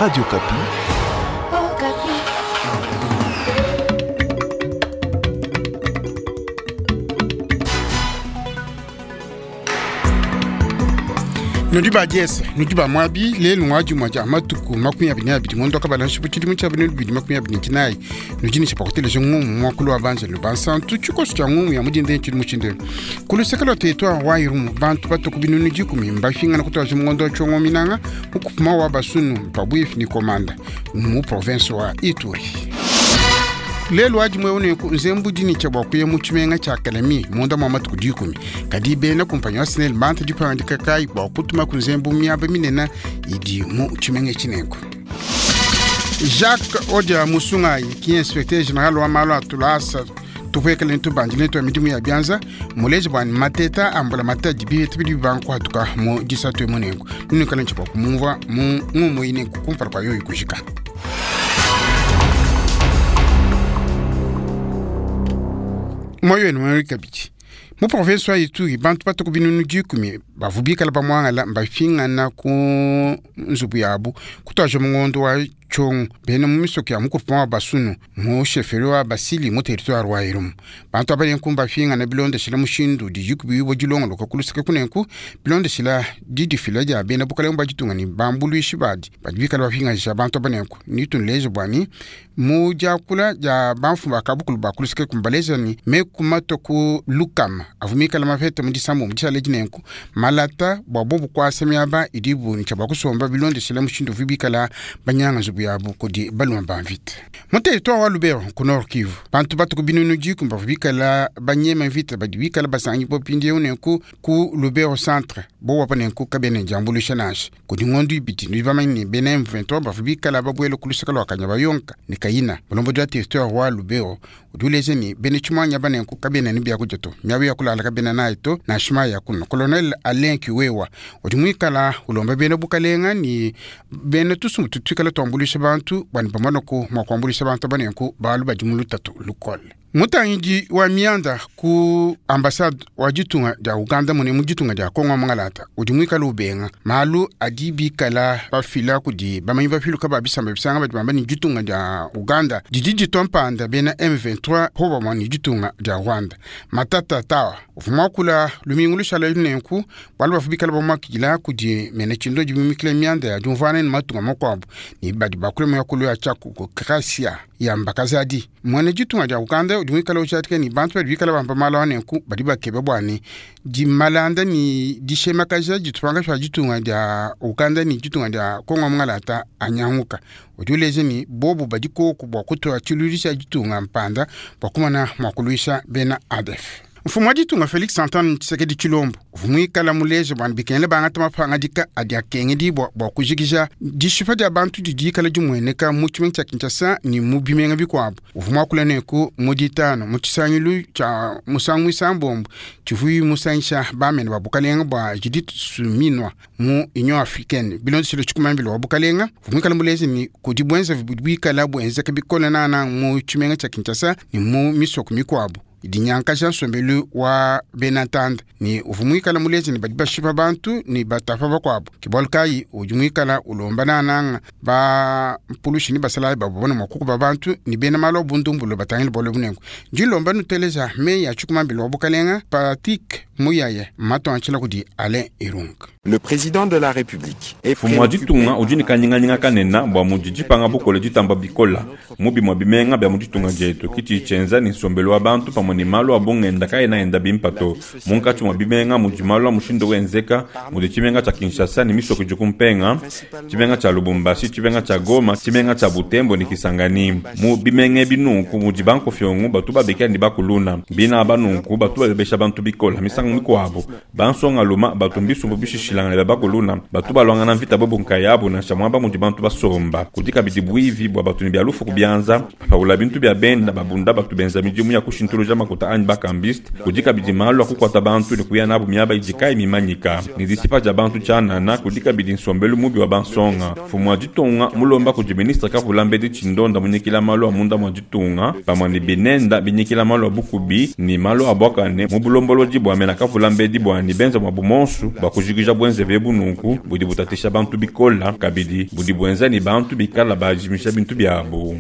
Radio Okapi. Nudi ba diese nudi ba muabi lelu ngwa dimua dia matuku 22 ngondo kabala nshipu tshidimu tshia 2024 nudi ne tshia ngumu muakulu wa banjelu bansantu tshikoso tshia ngumu ya mudinde tshidimu tshindelu ku luseke lua territoire wa Irumu bantu batuku binunu 10 mbafingana kutwaja mungondo wa tshiongo minanga mukupuma wa basunu pabuifi ni komanda mu province wa Ituri. Lelu adi mwe une ku nzembu dini tshia bua kuya mu tshimenga tshia Kalemi munda mua matuku 10 kadi bena kumpanyi wa SNEL banta dipangandika kayi bua kutuma ku nzembu miaba minene idi mu tshimenga tshinenku. Jacques Odia Musungayi ki inspecteur général wa malu a tulasa tupuekele ntubandile ntwa midimu ya bianza muleji bua mateta ambula matadi biheta bidi bibankuhatuka mu disatu emunenku nunukala ntshia bua kumumvua mu ngumu inenku kumpala kua yoyi kujika. Moyo wenu mweri kabidi mu province wa Ituri bantu batuku binunu 10 bavubikala bamwangala mbafingana ku nzubu yabu kutwaja mungondo wa tshongo bena mu misoko ya mukupuma wa basunu mu sheferi wa basili mu territoire wa Irumu bantu abalenku mbafingana bilondeshela mushindu diyikubiwa dilongoloka kuluseke kunenku bilondeshela didifila dia bena bukalenge bwa ditunga ni bambuluishi badi badi bikala bafinganisha bantu abanenku nitunleje bwani mu diakula dia bamfumu bakabukulu bakuluseke kumbaleza ni mekumato ku lukama avumikala mafete mu disambu mu disala dinenku malata bwa bobu kwasa miaba idibu ntsha bwa kusomba bilondeshela mushindu vibikala banyanga nzubu yabu kudi baluma ba mvita. Mu territoire wa Lubero ku Nord Kivu bantu batuku binunu 10 bavubikala banyema mvita badi bikala basangi bo pindiewu nenku ku Lubero centre bo wapa nenku kabene diambuluisha nansha kudi ngondu ibidi nudi bamanye ne bena M23 bavubikala babuele ku luseke lua Kanyabayonga ne Kayina. Bulombodi wa territoire wa Lubero udi uleja ne bena tshimwanya banenku kabena ne biakudia to miabu ya kulala kabena nayi to nansha mayi ya kunwa. Colonel Alain Kiwewa udi muikala ulomba bena bukalenga ni bena tusumu tutuikala tuambuluisha bantu bwani pamanoku mua kuambuluisha bantu banenku balu badi mu lutatu lukole. Mutangidi wa mianda ku ambassade wa ditunga dia Uganda mune mu ditunga dia Kongo Mangalata udi muikala ubenga malu adi bikala bafila kudi bamanyi bafiluka ba bisamba bisanga badi bamba ni ditunga dia Uganda didi ditompanda bena M23 probablement ni ditunga dia Rwanda. Matata tawa uvuma kula lumingu lushala nenku balu bafubikala bamakila kudi mene chindo dibimikile mianda ya diumvana ni matunga makuabu ni badi bakule mu yakulu ya tchaku Krasia ya mbakazadi mwene ditunga dia Uganda udi muikala ujatika ni bantu badi bikala bamba malu anenku badi bakeba bwani dimalanda ni dishemakaja ditupanga sha ditunga dia Uganda ni ditunga dia Kongo Mangalata anyanguka udi uleja ni bobu badi koku bua kutoa tshilulisha ditunga mpanda bua kumana mua kuluisha bena ADF. Mfumu wa ditunga Felix Antoine Tshisekedi Tshilombo uvumuikala muleje bua bikengele bangata mapangadika adi akengedibua bua kujikija dishipa dia bantu didi dikala dimueneka mu tshimenga tshia Kinshasa ni mu bimenga bikuabu. Uvumuakula neku mu ditano mu tshisangilu tshia musangu isambombo tshivuyi musangisha bamene ba bukalenga bua Judith Suminwa mu Union Africaine bilondeshile tshikumambilo wa bukalenga. Uvumuikala muleje ni kudi buenza buikala buenzeka bikole nana mu tshimenga tshia Kinshasa ni mu misoko mikuabu dinyankaja nsombelu wa benatanda ni uvumuikala mulezi ni badi bashipa bantu ni batapa bakuabu kibalu kayi udi muikala ulomba nananga ba mpulushi ni basalayi babona mwakuku ba bantu ni bena malu abundumbulu batangile bole bunengo ndilomba nuteleza meyi ya tshikumambilo wa bukalenga Patrick Muyaya matonchela kudi Alain Irung. Le président de la République est Mfumu wa ditunga udi ne kanyinganyinga kanene bua mudi dipanga bukole ditamba bikola mubi mwa bimenga bia mu ditunga dietu kiti tshienza ni nsombelu wa bantu pamue ne malu a bungenda kaena enda bimpe to munkatshi mua bimenga mudi malu a mushindu wenzeka mudi tshimenga tshia Kinshasa ne misoko idi kumpenga tshimenga tshia Lubumbashi tshimenga tshia Goma tshimenga tshia Butembo ne Kisangani mu bimenga ebi nunku mudi bankofiongo batu babikila ne bakuluna bina aba nunku batu babebesha bantu bikola misangu mikuabu bansonga luma batu mbisumbu bishishilangana bia bakuluna batu balwangana mvita bobu nkayabu nansha muaba mudi bantu basomba kudi kabidi buivi bua batu ne bia lufu kubianza papaula bintu bia benda babunda batu benza midimu ya kushintuluja makuta anyi bakambiste kudi kabidi malu a kukuata bantu ne kuya nabu miaba idi kayi mimanyika ne disipa dia bantu tshianana kudi kabidi nsombelu mubi wa bansonga mfumu wa ditunga mulomba kudi ministre kavula mbedi tshindonda munyikila malu a munda mua ditunga pamue ne binenda binyikila malu a bukubi ne malu a buakane mu bulombolodi bua mena kavula mbedi bua ne benza muabu monsu bua kujikija buenzevi ebu nunku budi butatisha bantu bikola kabidi budi buenza ne bantu bikala bajimisha bintu biabu.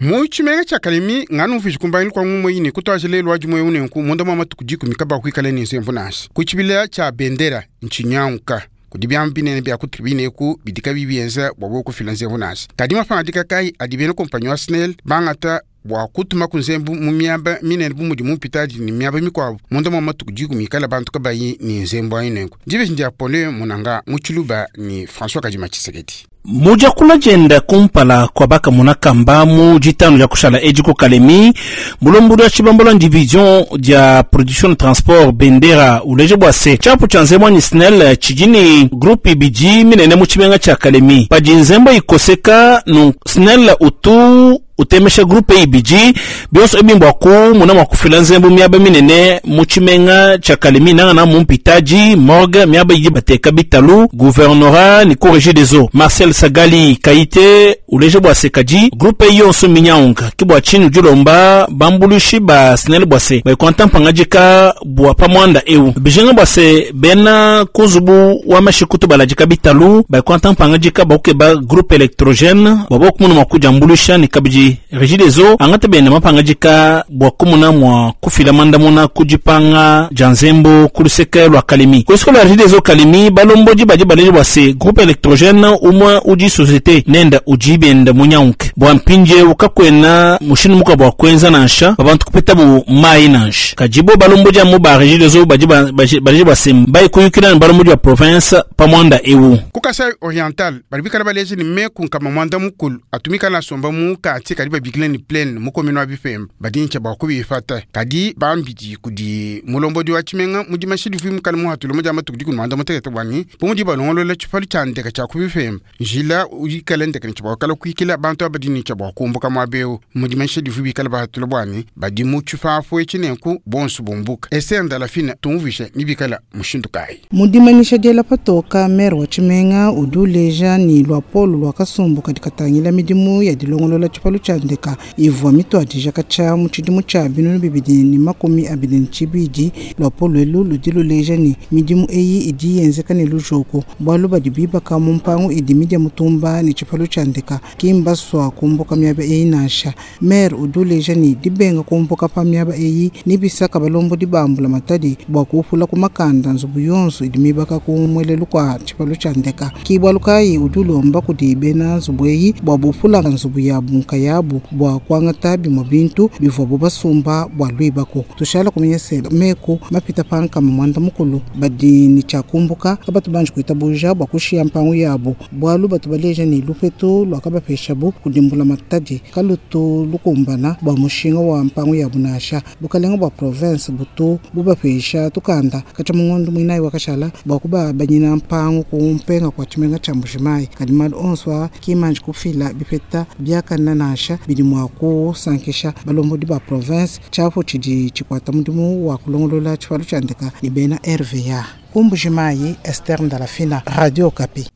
Mu tshimenga tshia Kalemi nganu mviji kumbangilu kwa ngumu eyi ne kutuaja lelu wa dimue eu nenku munda mua matuku dikumi kabakuikala ne nzemvu nansha. Ku tshibila tshia bendera ntshinyanguka kudi biamu binene bia ku tribune eku bidi kabiyi bienza bua bobu kufila nzemvu nansha. Kadi mapangadika kayi adi bena kompanyi wa SNEL bangata bua kutuma ku nzembu mu miaba minene bu mudi mu mpitadi ne miaba mikuabu munda mua matuku dikumi ikala bantu kabayi ne nzembu ayi nenku? Dibeji ndia Paulin Munanga mu Tshiluba ne François Kadima Tshisekedi. Mu diakula dienda kumpala kua bakamona kamba mu ditanu dia kushala edi ku Kalemi, mulombodi wa tshibambalu wa division dia production ne transport Bendera uleja bua se tshiapu tshia nzembu anyi SNEL tshidi ne groupe ibidi minene mu tshimenga tshia Kalemi. Padi nzembu ikoseka nunku SNEL utu utemesha groupe ibidi, bionso ebi mbua kumuna mua kufila nzembu miaba minene mu tshimenga tshia Kalemi, nangana mu mpitadi, morgue, miaba idi bateka bitalu, gouvernorat ne ku regie des eaux. Marcel Sagali Kayite uleja bua se kadi groupe eyi yonso mminyanguka, ke bua tshinyi udi ulomba bambuluishi ba SNEL bua se bayikwanta mpangadika bua pa muanda eu. Bijinga bua se bena ku nzubu wa mashikutu baladika bitalu bayikwanta mpangadika bua kukeba groupe electrogene bua bobu kumuna mua kudiambuluisha ne kabidi Regideso angata benda mapangadika bua kumuna mua kufila mandamuna ku dipanga dia nzembu ku luseke lua Kalemi. Ku luseke lua Regideso Kalemi, balombodi badi baleja bua se groupe electrogene umue udi societe nenda udi benda munyanguke bua mpindieu kakuena mushindu mukuabu wa kuenza nansha bua bantu kupetabu mayi nansha. Kadi bo balombodi amu ba Regideso badi baleja bua se mbaye kuyukila ne balombodi ba province pa muanda eu. Ku Kasai Oriental, badi bikala baleja ne meku nkama muanda mukulu atu mikala asomba mu quartier kadi babikila ne plaine mu commune wa Bipemba badi ne tshia bua kubipata. Kadi bambidi kudi mulombodi wa tshimenga mu dimashi divua mukala muhatula mu dia matuku dikumi muanda mutekete bua ne bu mudi balongolola tshipalu tshia ndeka tshia ku Bipemba njila ikala ndeka ne tshia bua kala kuikila bantu aba badi ne tshia bua kumbuka muaba eu mu dimashi divua bikala bahatula bua ne badi mu tshipapu etshi nenku bonso bumbuka. Esther Ndalafina tumvuisha ne bikala mushindu kayi? Mu dimanyisha diela patoka, maire wa tshimenga udi uleja ne luapolo lua kasumbu kadi katangila midimu ya dilongolola tshipalu tshia ndeka ivua mituadija katshia mu tshidimu tshia 2022. Luapolo elu ludi luleja ne, midimu eyi idi yenzeka ne lujoko bualu badi bibaka mu mpangu idi midia mutumba ne tshipalu tshia ndeka ki mbasua kumbuka miaba eyi nansha. Maire udi uleja ne, dibenga kumbuka pa miaba eyi nebisaka balombodi ba mbulamatadi bua kuupula ku makanda nzubu yonso idi mibaka ku muelelu kua tshipalu tshia ndeka. Ki bualu kayi udi ulomba kudi bena nzubu eyi bua bupula nzubu yabu nkayabu bua kuangata bimue bintu bivuabu basumba bua luibaku. Tushala kumanya se, meku mapita pa nkama muanda mukulu badi ne tshia kumbuka kabatu banji kuitabuja bua kushiya mpangu yabu bualu batu baleja ne, lupetu luakabapeshabu kudi mbulamatadi kalutu lukumbana bua mushinga wa mpangu yabu nansha. Bukalenga bua province butu bubapesha tukanda katshia mu ngondo muinayi wakashala bua kubabanyina mpangu ku mpenga kua tshimenga tshia Mbuji-Mayi. Kadi malu onso aa ki manji kufila bipeta biakane nansha bidi mua kusankisha balombodi ba province. Tshiapu tshidi tshikuata mudimu wa kulongolola tshipalu tshia ndeka ne bena RVA. Ku Mbuji-Mayi, Esther Ndalafina, Radio Okapi.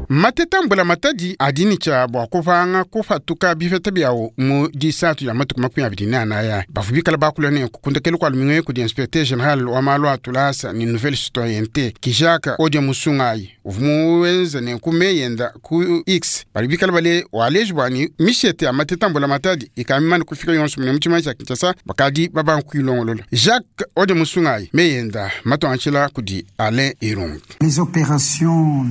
Mateta mbulamatadi adi ne tshia bua kupanga kupatuka bipeta biawu mu disatu dia matuku 24 aya. Bavua bikala bakula nenku ku ndekelu kua lumingu eku kudi inspecteur general wa malu a tulasa ne nouvelle citoyenneté Kijaka Odia Musungayi uvua muenza nenku meyi enda ku X. Badi bikala bale waleji bua ne mishete ya mateta mbulamatadi ikadi mimane kufika yonso mune mu tshimenga tshia Kinshasa bakadi babanga kuyilongolola. Jacques Odia Musungayi meyi enda matuanshila kudi Alain Irung.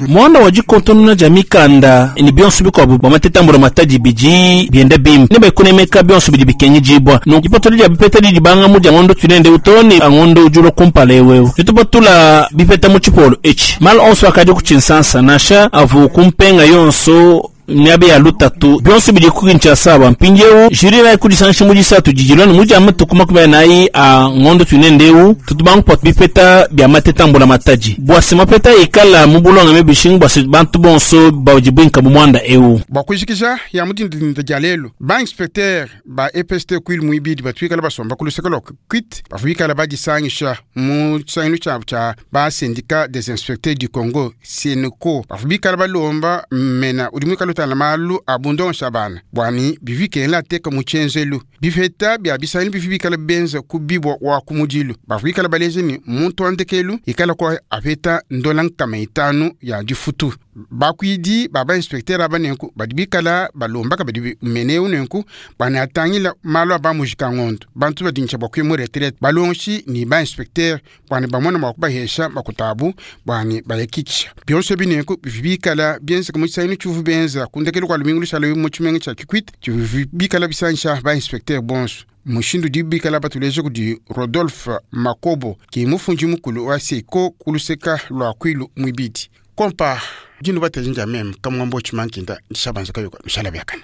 Muanda wa dikontonona dia mikanda ne bionso bikuabu bua mateta a mbulamatadi bidi bienda bimpe ne badi kunemeka bionso bidi bikengedibua. Nunku dipatula dia bipeta didi dibanga mu dia ngondo tuinende eu too ne a ngondo udi ulua kumpala eu eu. Netupatula bipeta mu tshipolo etshi. Malu onso akadi ku tshinsansa, nansha avua ku mpenga yonso miaba ya lutatu, bionso bidi ku Kinshasa bua mpindieu. Jury nayi kudisangisha mu disatu didi dilua ne mu dia matuku 40 a ngondo tuinende eu, tutu bangu bipeta bia mateta a mbulamatadi bua se mapeta ikala mu bulongame bishingu bua se bantu bonso badi buinka mu muanda eu. Bua kujikija ya mu dindindinda dia lelu, ba inspecteur ba EPST Kwilu muibidi batu bikala basomba ku luseke lua Kikwit bavua bikala badisangisha mu tshisangilu tshiabu tshia ba syndicat des inspecteurs du Congo SYNCO. Bavua bikala balomba mena udi muikale utangila malu a bundongesha bana bua ne bivua bikengela ateka mu tshienzelu. Bipeta bia bisangilu bivi bikala benza ku bibwa wa ku mudilu bavua bikala baleja ne muntu wa ndekelu ikala kwa apeta ndola nkama itanu ya difutu. Bakuidi ba inspecteur aba nenku badi bikala balombaka badi meneu nenku banatangila malu aba mujika ngondo bantu badi bua kuya mu retraite balonshi ni ba inspecteur bwana bamona mwa kubahesha makutabu bwana bayakikisha byonso binenku bikala bienzeka mu tshisangilu tshivu benza kundekelu kwa lumingu lushala mu tshimenga tshia Kikwit tshivu bikala bisangisha ba inspecteur bonso. Mushindu di bikala batuleje kudi Rodolphe Makobo ki mufundi mukulu wa Seiko kuluseka lwa kwilu mwibidi kompa dinu batezinja meme kamwambo tshimankinda nshabanza kayoka nshala byakana.